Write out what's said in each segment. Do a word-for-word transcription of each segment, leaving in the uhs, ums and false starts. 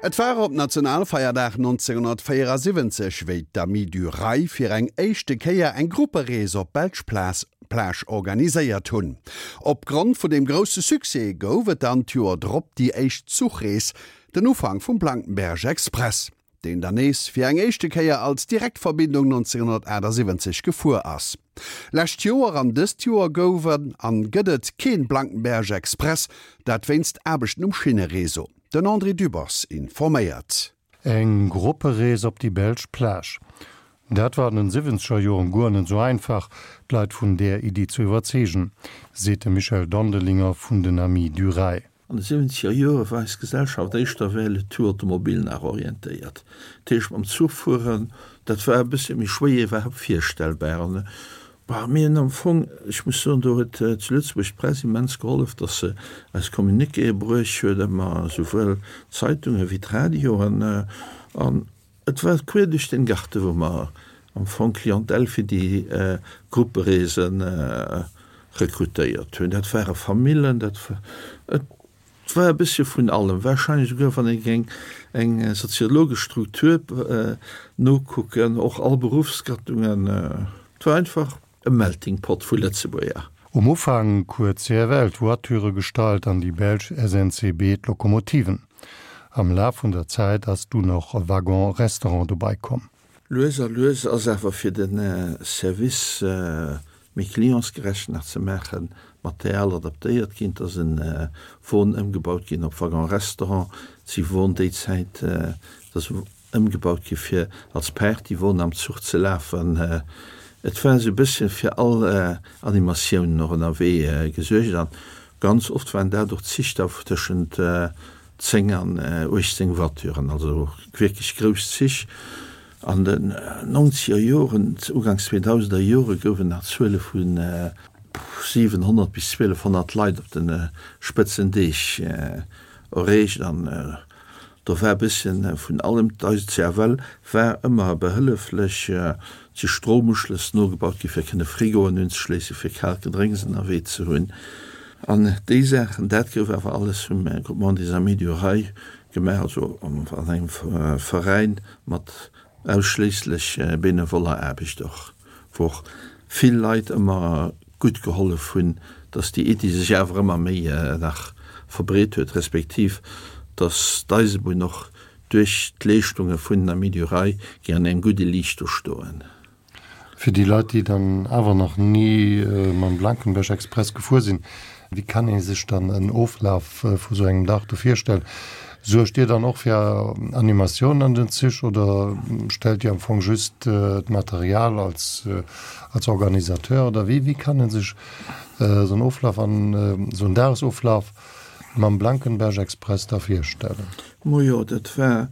Et war op Nationalfeierdag nonzénghonnertvéierasiwwenzeg, wéi d'Amis du Rail fir eng éischte Kéier eng Grupperees op d'belsch Plage organiséiert hunn. Opgrond vun deem grousse Succès gouf et dann d'Joer drop déi éischt Zuchrees, den Ufank vum Blankenberge Express, deen dann nees fir eng éischte Kéier als Direktverbindung nonzénghonnertachtasiwwenzeg gefuer ass. Lescht Joer an dëst Joer gouf an gëtt et keen Blankenberge Express, dat wéinst Aarbechten um Schinnereseau. Den André Dübbers informéiert. Eng Grupperees op déi belsch Plage. Dat war an den siwwenzeger Joren guer net esou einfach, d'Leit vun där Iddi ze iwwerzeegen, seet de Michel Dondelinger vun den Amis du Rail. An de siwwenzeger Jore war eis Gesellschaft éischter vers le tout automobile nach orientéiert. Dat heescht, mam Zuch fueren, dat war e bëssche méi schwéier iwwerhaapt virstellbar. An, bah, mir hunn am Fong, ech muss soen, do huet zu Lëtzebuerg d'Press immens gehollef, datt se eis Communiquéë bruecht huet, ëmmer, souwuel d'Zeitunge wéi d'Radioen. An et war quer duerch den Garten, wou mer am Fong Clientèle fir déi Gruppereese rekrutéiert hunn. Dat ware Famillen, dat et war e bëssche vun allem. Warscheinlech esouguer, wann ee géing eng soziologesch Struktur nokucken, och all Beruffsgattungen. Et war einfach e Melting Pot vu Lëtzebuerger. Um Ufank huet C F L d'Voiture gestallt an déi belsch S N C B d'Lokomotiven. Am Laf vun der Zäit ass dunn och e Waggon-Restaurant dobäi komm. Lues a lues ass awer fir de Service méi clientsgerecht nach ze maachen, Material adaptéiert ginn. Et ass e Won ëmgebaut ginn op Waggon-Restaurant. Et si Won déi Zäit, et ass ëmgebaut gi fir als Partywon am Zuch ze lafen. Et war esou e bësschen fir all Animatiounen och ënnerwee gesuergt an ganz oft waren dat och Zich da tëschent zéng an uechtzéng Voituren, also wierklech grouss Zich. An den nonzeger Joren, uganks zweedausender Jore gouf et nach Zuele vu siwenhonnert bis zwielefhonnert Leit op de Spëtzendeeg erreecht an do war e bësschen vun allem. D'Eis C F L war ëmmer behëlleflech, et si Stroumuschlëss nogebaut gi fir kënne Frigoen unzeschléissen, fir kaalt Gedrénks ënnerwee ze hunn an déi Saachen. Dat gouf awer alles vum Groupement des Amis du Rail gemaach, also an engem Veräin mat ausschléisslech benevoller Aarbecht och, wou och vill Leit ëmmer gutt gehollef hunn, dass déi Iddi sech awer ëmmer méi nach verbreet huet, respektiv dass d'Eisebunn och duerch d'Leeschtunge vun den Amis du Rail géing an engem gudde Liicht do stoen. Fir déi Leit, déi dann awer nach ni mam Blankenberge Express gefuer sinn, wéi kann ee sech dann en Oflaf vu sou engem Dag do virstellen? Suergt Dir dann och fir Animatioun an den Zich oder stellt Dir am Fong just d'Material als als Organisateur oder wéi wéi kann ee sech sou en Oflaf an sou en Dagesoflaf mam Blankenberge Express da virstellen? Majo, dat war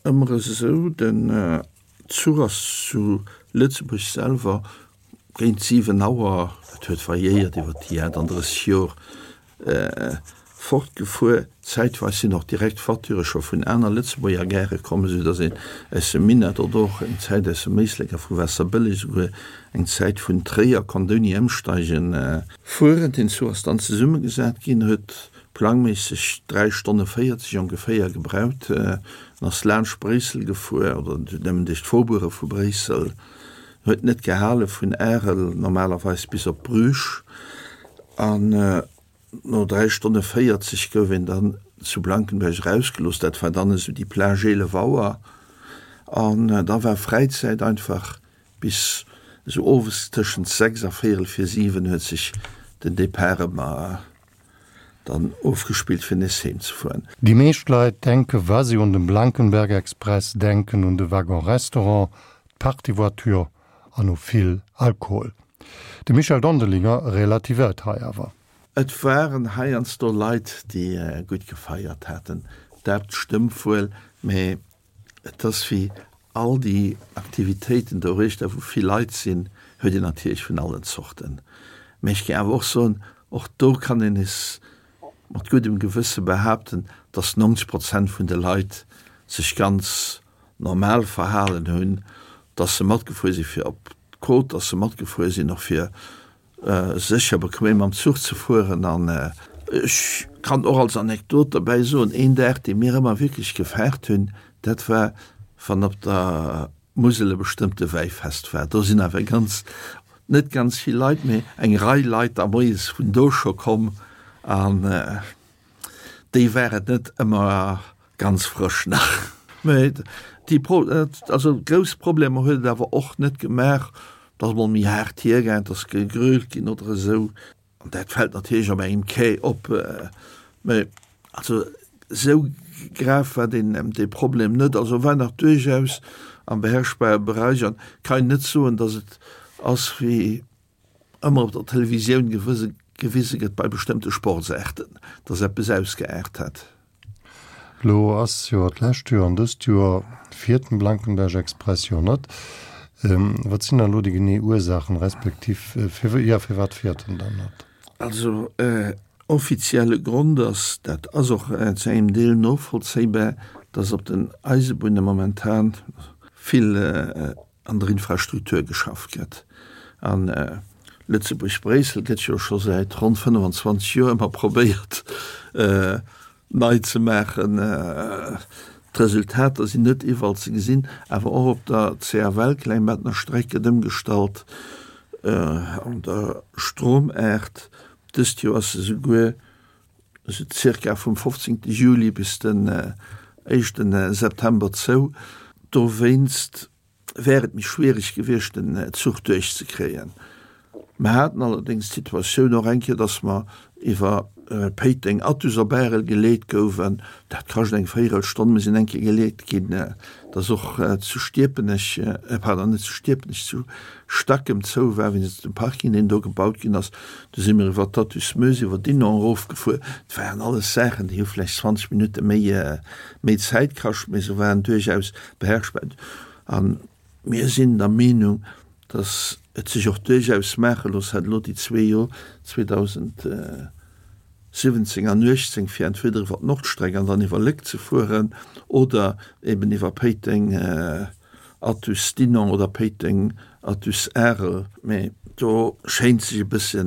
ëmmer esou, den Zuch ass zu Lëtzebuerg selwer géint siwen Auer, dat huet variéiert iwwer déi achtandrësseg Jor, fortgefuer. Zäitweis sinn och direkt Voiture scho vun aner Lëtzebuerger Gare komm, esou datt een aus dem Minett oder och eng Zäit aus dem Éislek a vu Waasserbëlleg, esouguer eng Zäit vun Tréier konnt ouni Ëmsteigen fueren. Den Zuch ass dann zesummegesat ginn, huet plangméisseg dräi Stonne véierzeg ongeféier gebraucht an ass laanscht Bréissel gefuer, oder nëmmen duerch d'Faubourge vu Bréissel, huet net gehale vun Arel normalerweis bis op Bruges an no dräi Stonne véierzeg gouf een dann zu Blankenberge erausgelooss. Dat war dann esou déi Plage eelef Auer an da war Fräizäit einfach bis esou owes tëschent sechs a véierel vir siwen huet sech den Depart ëmmer dann ofgespillt fir nees heem ze fueren. Déi meescht Leit denke wa si un de Blankenberge Express denken un de Waggon Restaurant, d'Partyvoiture an u vill Alkohol. De Michel Dondelinger relativéiert hei awer. Et waren heiansdo Leit déi gutt gefeiert haten, dat stëmmt wuel, mä et ass wéi all déi Aktivitéiten doruechter, wou vill Leit sinn, huet een natierlech vun allen Zorten. Mä ech géing awer och soen, och do kann een nees mat guddem Gewësse behaapten, dass neunzeg Prozent vun de Leit sech ganz normal verhalen hunn, dass se matgefuer si fir op d'Côte, dass se matgefuer sinn och fir sécher bequem mam Zuch ze fueren. An Ech kann och als Anekdot derbäi soen, een Dag, dee mir ëmmer wierklech gefaart hunn, dat war, wann op der Musel e bestëmmte Wäifest war. Do sinn awer ganz, net ganz vill Leit, mee eng Rei Leit da moies vun do scho komm an déi waren net ëmmer ganz frësch nach. Mee déi Pro, also grouss Problemer huet et awer och net gemaach. Et ass mol méi haart hiergaang, et ass gegrölt ginn oder esou. An dat fält natierlech op engem Quai op. Mee also esou grav war deen, dee Problem net. Also war nach duerchaus am beherrschbare Bereich an kann een net soen, datt et ass wéi ëmmer op der Televisioun gewise gewise gëtt bei bestëmmte Sportsaarten, datt eppes ausgeaart hätt. Lo ass jo d'lescht Joer an dëst Joer fiert den Blankenberg Express jo net. Wat sinn dann elo déi genee Ursaachen, respektiv fir, jo, firwat fiert en dann net? Also offizielle Grond ass, dat ass och zu engem Deel novollzéibar, datt op den Eisebunne momentan vill an der Infrastruktur geschafft gëtt. An Lëtzebuerg-Bréissel gëtt jo scho säit ronn fënnefenzwanzeg Joer ëmmer probéiert nei ze maachen. D'Resultater sinn net iwwerall ze gesinn, awer och op der C F L-Klengbettner Streck gëtt ëmgestallt, an der Stromaart. Dëst Joer ass se souguer esou zirka vum fofzéngte Juli bis den éischte September zou. Dowéinst wär et méi schwiereg gewiescht, den Zuch duerchzekréien. Mer haten allerdéngs d'Situatioun och eng Kéier, dass mer iwwer Péiteng, Athus op Arel geleet gouwen. Dat kascht eng Véierelstonn. Mir sinn eng Kéier geleet ginn, dass och zu Stierpenech, pardon, net zu Stierpenech, zu Stackem zou war wéinst dem Parking, deen do gebaut ginn ass. Du si mir iwwer d'Athus-Meuse, iwwer Dinant erofgefuer. Dat waren alles Saachen, déi hu vläicht zwanzeg Minutte méi, méi Zäit kascht, mee se waren duerchaus beherrschbar. A mir sinn der Meenung, dass et sech och duerchaus maache looss hätt, elo déi zwee Joer zweedausendsëwwenzéng an uechtzéng, fir entweder iwwer d'Nordstreck an dann iwwer Léck ze fueren oder eben iwwer Péiteng, Athus, Dinant oder Péiteng, Athus, Arel. Mee do schéint sech e bësse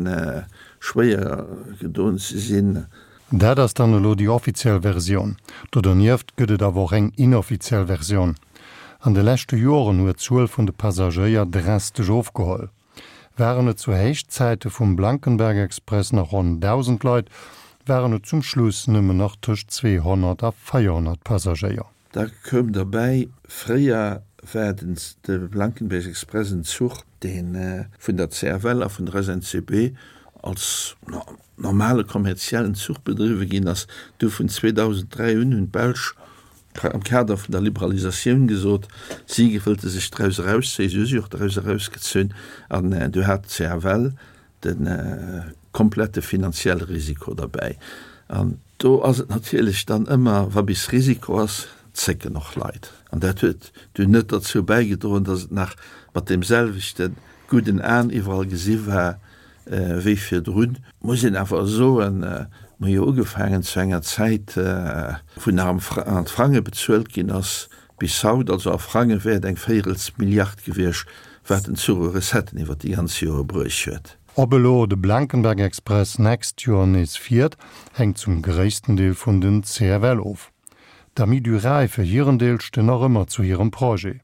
schwéier gedoen ze sinn. Dat ass dann elo déi offiziell Versioun. Do donieft gëtt et awer och eng inoffiziell Versioun. An de leschte Joren huet d'Zuel vun de Passagéier drastesch ofgeholl. Waren et zu Héichzäite vum Blankenberg Express nach ronn dausend Leit, waren et zum Schluss nëmmen nach tëscht zweehonnert a véierhonnert Passagéier. Da koum derbäi, fréier war den de Blankenberg Express en Zuch, dee vun der C F L a vun der S N C B als normale kommerziellen Zuch bedriwwe ginn ass. Du vun zweedausenddräi un hunn d'Belsch am Kader vun der Liberalisatioun gesot, si wëllte sech draus erauszéien. Si hu sech och draus erausgezunn an du hat d'C F L de komplette finanzielle Risiko derbäi. An do ass et natierlech dann ëmmer, wa bis Risiko ass, zécken och Leit. An dat huet dunn net derzou bäigedroen, datt et nach mat deem selwechte gudden Aen iwwerall gesi war wéi virdrun. Muss een awer soen, mer hu jo ugefaangen zu enger Zäit, wou nach am an Frange bezuelt ginn ass, bis haut, also a Frange wär et eng Véierels Milliard gewiescht, wat den Zuch u Recetten iwwer déi ganz Jore bruecht huet. Ob elo de Blankenberg Express nächst Joer nees fiert, hänkt zum gréissten Deel vun den C F L of. D'Amis du Rail fir hiren Deel stinn nach ëmmer zu hirem Projet.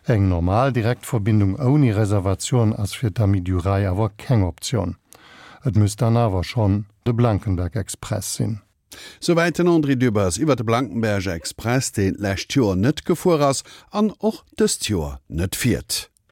Eng normal Direktverbindung ouni Reservatioun ass fir d'Amis du Rail awer keng Optioun. Et misst dann awer schonn de Blankenberg Express sinn. Souwäit den André Dübbers iwwer de Blankenberg Express, deen d'lescht Joer net gefuer ass an och dëst Joer net fiert.